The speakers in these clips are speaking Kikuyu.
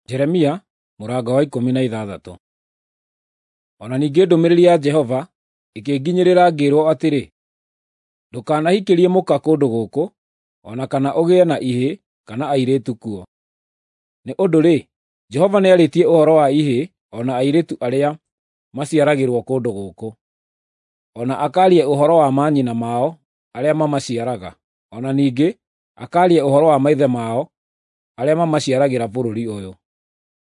Jeremia mũrango wa 16. O na ningĩ ndũmĩrĩri ya Jehova ĩkĩnginyĩrĩra ngĩĩrwo atĩrĩ, “Ndũkanahikĩrie mũka kũndũ gũkũ, o na kana ũgĩe na ihĩĩ kana airĩtu kuo. Nĩ ũndũ-rĩ, Jehova nĩarĩtie ũhoro wa ihĩĩ o na airĩtu arĩa maciaragĩrwo kũndũ gũkũ, o na akaaria ũhoro wa manyina mao arĩa mamaciaraga, o na ningĩ akaaria ũhoro wa maithe mao arĩa mamaciaragĩra bũrũri ũyũ.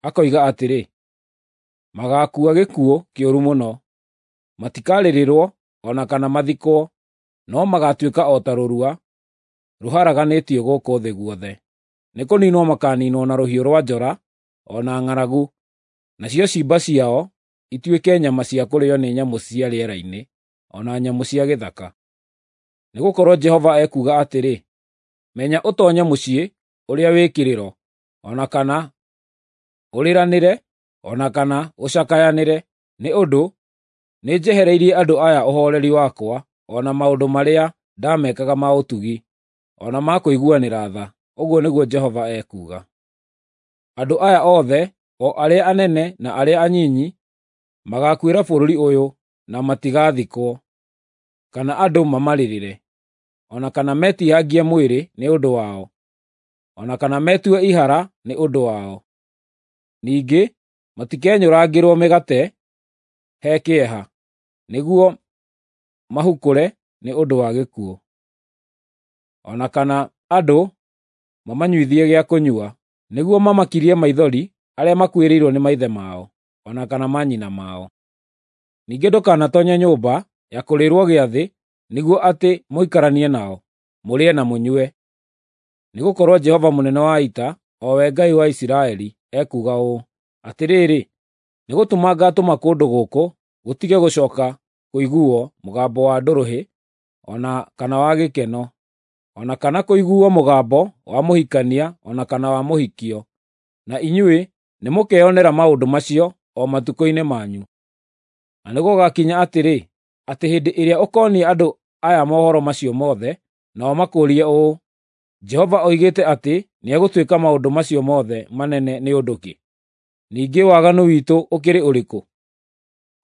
Akoiga atĩrĩ, ‘Magaakua gĩkuũ kĩũru mũno. Matikarĩrĩrwo o na kana mathikwo, no magaatuĩka o ta rũrua rũharaganĩtio gũkũ thĩ guothe. Nĩkũniinwo makaaniinwo na rũhiũ rwa njora o na ng'aragu, nacio ciimba ciao ituĩke nyama cia kũrĩĩo nĩ nyamũ cia rĩera-inĩ o na nyamũ cia gĩthaka.’ Nĩgũkorwo Jehova ekuuga atĩrĩ, ‘Menya ũtoonye mũciĩ ũrĩa wĩ kĩrĩro, o na kana ũrĩranĩre o na kana ũcakayanĩre, nĩ ũndũ nĩnjehereirie andũ aya ũhooreri wakwa o na maũndũ marĩa ndaamekaga ma ũtugi, o na ma kũiguanĩra tha,’ ũguo nĩguo Jehova ekuuga. Andũ aya othe, o arĩa anene na arĩa anyinyi, magaakuĩra bũrũri ũyũ na matigaathikwo, kana andũ mamarĩrĩre, o na kana metiihangie mwĩrĩ nĩ ũndũ wao, o na kana metue ihara nĩ ũndũ wao. Ningĩ matikenyũrangĩrwo mĩgate he kĩeha, nĩguo mahukũre nĩ ũndũ wa gĩkuũ, o na kana andũ mamanyuithie gĩa kũnyua, nĩguo mamakirie maithori arĩa makuĩrĩirwo nĩ maithe mao, o na kana manyina mao. Ningĩ ndũkanatoonye nyũmba ya kũrĩĩrwo gĩathĩ nĩguo atĩ mũikaranie nao, mũrĩe na mũnyue. Nĩgũkorwo Jehova mũnene wa ita, o we Ngai wa Isiraeli, ekuuga ũũ: Atĩrĩrĩ, nĩgũtũma ngaatũma kũndũ gũkũ gũtige gũcooka kũiguuo mũgambo wa ndũrũhĩ o na kana wa gĩkeno, o na kana kũiguuo mũgambo wa mũhikania o na kana wa mũhikio. Na inyuĩ nĩmũkeyonera maũndũ macio o matukũ-inĩ manyu. Na nĩgũgakinya atĩrĩ, atĩ hĩndĩ ĩrĩa ũkoonia andũ aya mohoro macio mothe, nao makũũrie ũũ, ‘Jehova oigĩte atĩ nĩegũtwĩka maũndũ macio mothe manene nĩ ũndũ kĩ? Ningĩ waganu witũ ũkĩrĩ ũrĩkũ?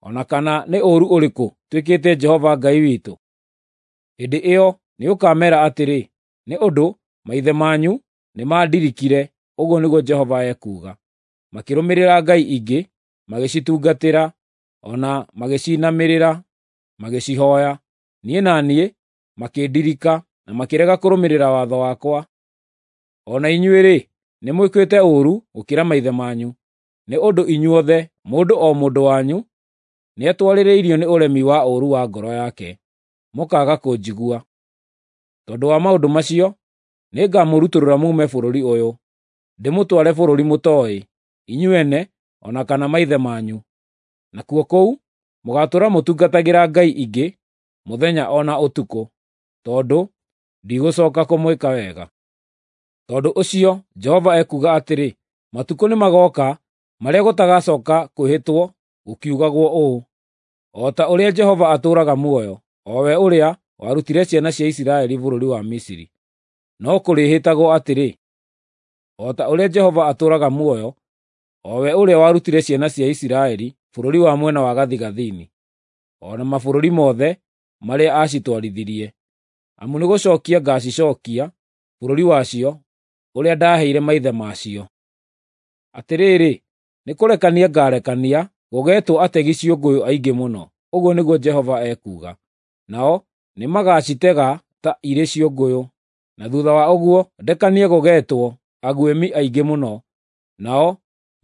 O na kana nĩ ũũru ũrĩkũ twĩkĩte Jehova Ngai witũ?’ Hĩndĩ ĩyo nĩũkameera atĩrĩ, ‘Nĩ ũndũ maithe manyu nĩmandirikire,’ ũguo nĩguo Jehova ekuuga, ‘makĩrũmĩrĩra ngai ingĩ, magĩcitungatĩra, o na magĩciinamĩrĩra, magĩcihooya. Niĩ na niĩ makĩndirika na makĩrega kũrũmĩrĩra watho wakwa. O na inyuĩ-rĩ, nĩmwĩkĩte ũũru gũkĩra maithe manyu, nĩ ũndũ inyuothe, mũndũ o mũndũ wanyu, nĩatwarĩrĩirio nĩ ũremi wa ũũru wa ngoro yake, mũkaaga kũnjigua. Tondũ wa maũndũ macio, nĩngamũrutũrũra muume bũrũri ũyũ, ndĩmũtware bũrũri mũtooĩ, inyuĩ ene o na kana maithe manyu. Nakuo kũu mũgaatũũra mũtungatagĩra ngai ingĩ mũthenya o na ũtukũ, tondũ ndigũcooka kũmwĩka wega. Tondũ ũcio Jehova ekuuga atĩrĩ, matukũ nĩmagooka marĩa gũtagacooka kwĩhĩtwo gũkiugagwo ũũ, ‘O ta ũrĩa Jehova atũũraga muoyo, o we ũrĩa warutire ciana cia Isiraeli bũrũri wa Misiri.’ No kũrĩĩhĩtagwo atĩrĩ, ‘O ta ũrĩa Jehova atũũraga muoyo, o we ũrĩa warutire ciana cia Isiraeli bũrũri wa mwena wa gathigathini, o na mabũrũri mothe marĩa aacitwarithirie.’ Amu nĩgũcookia ngaacicookia bũrũri wacio ũrĩa ndaaheire maithe macio. Atĩrĩrĩ, nĩkũrekania ngaarekania gũgeetwo ategi ciũngũyũ aingĩ mũno, ũguo nĩguo Jehova ekuuga. Nao nĩmagacitega ta irĩ ciũngũyũ, na thuutha wa ũguo ndekanie gũgeetwo aguĩmi aingĩ mũno, nao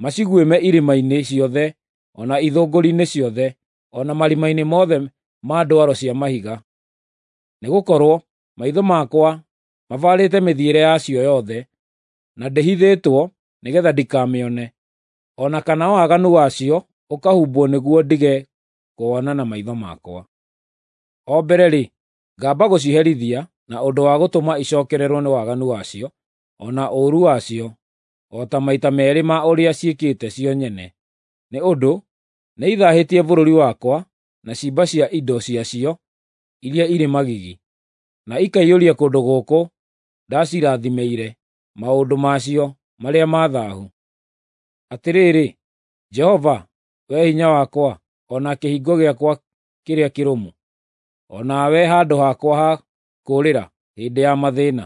maciguĩme irĩma-inĩ ciothe o na ithũngũri-inĩ ciothe, o na marima-inĩ mothe ma ndwaro cia mahiga. Nĩgũkorwo maitho makwa mabarĩte mĩthiĩre yacio yothe, na ndĩhithĩtwo nĩgeetha ndikamĩone, o na kana waganu wacio ũkahumbwo nĩguo ndige kũwona na maitho makwa. O mbere-rĩ, ngamba gũciherithia na ũndũ wa gũtũma icookererwo nĩ waganu wacio o na ũũru wacio, o ta maita meerĩ ma ũrĩa ciĩkĩte cio nyene, nĩ ũndũ nĩithaahĩtie bũrũri wakwa na ciimba cia indo ciacio iria irĩ magigi, na ikaiyũria kũndũ gũkũ ndacirathimĩire maũndũ macio marĩa ma thaahu. Atĩrĩrĩ, Jehova, wee hinya wakwa, o na kĩhingo gĩakwa kĩrĩa kĩrũmu, o nawe handũ hakwa ha kũũrĩra hĩndĩ ya mathĩĩna,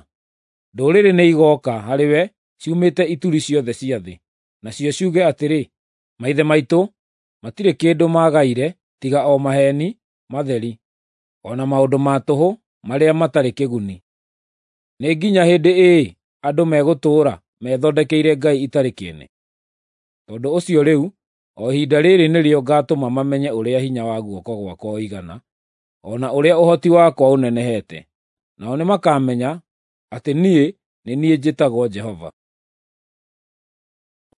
ndũrĩrĩ nĩigooka harĩwe ciumĩte ituri ciothe cia thĩ, nacio ciuge atĩrĩ, “Maithe maitũ matirĩ kĩndũ maagaire tiga o maheeni matheri, o na maũndũ ma tũhũ marĩa matarĩ kĩguni. Nĩ nginya hĩndĩ ĩĩ andũ megũtũũra methondekeire ngai itarĩ kĩene?” Tondũ ũcio rĩu, o ihinda rĩrĩ nĩrĩo ngaatũma mamenye ũrĩa hinya wa guoko gwakwa ũigana, o na ũrĩa ũhoti wakwa ũnenehete. Nao nĩmakamenya atĩ niĩ nĩ niĩ njĩtagwo Jehova.